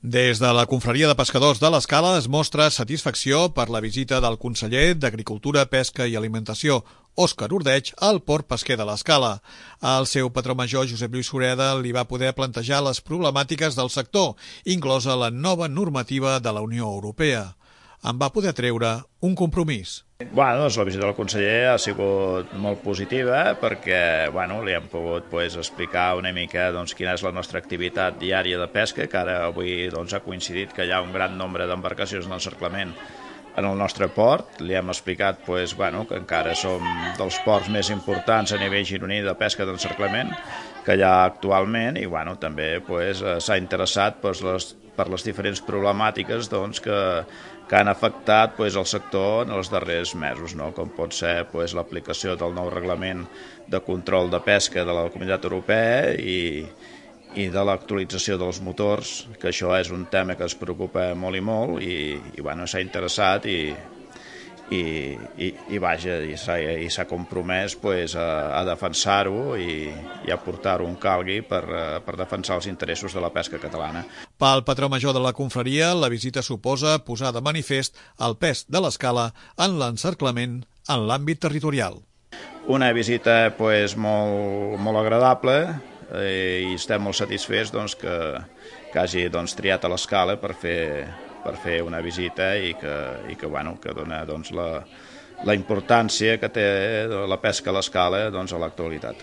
Des de la Confraria de Pescadors de l'Escala es mostra satisfacció per la visita del conseller d'Agricultura, Pesca i Alimentació, Òscar Ordeig, al port pesquer de l'Escala. El seu patró major, Josep Lluís Sureda, li va poder plantejar les problemàtiques del sector, inclosa la nova normativa de la Unió Europea. En va poder treure un compromís. Doncs la visita del conseller ha sigut molt positiva perquè li hem pogut explicar una mica quina és la nostra activitat diària de pesca, que ara avui ha coincidit que hi ha un gran nombre d'embarcacions d'encerclament en el nostre port. Li hem explicat que encara som dels ports més importants a nivell gironí de pesca d'encerclament que hi ha actualment i també s'ha interessat per les diferents problemàtiques que han afectat el sector en els darrers mesos, com pot ser l'aplicació del nou reglament de control de pesca de la Comunitat Europea i de l'actualització dels motors, que això és un tema que es preocupa molt i molt i s'ha interessat i s'ha compromès a defensar-ho i a portar-ho on calgui per defensar els interessos de la pesca catalana. Pel patró major de la confraria, la visita suposa posar de manifest el pes de l'Escala en l'encerclament en l'àmbit territorial. Una visita molt agradable i estem molt satisfets que hagi triat a l'Escala per fer una visita i que dona la importància que té la pesca a l'Escala a l'actualitat.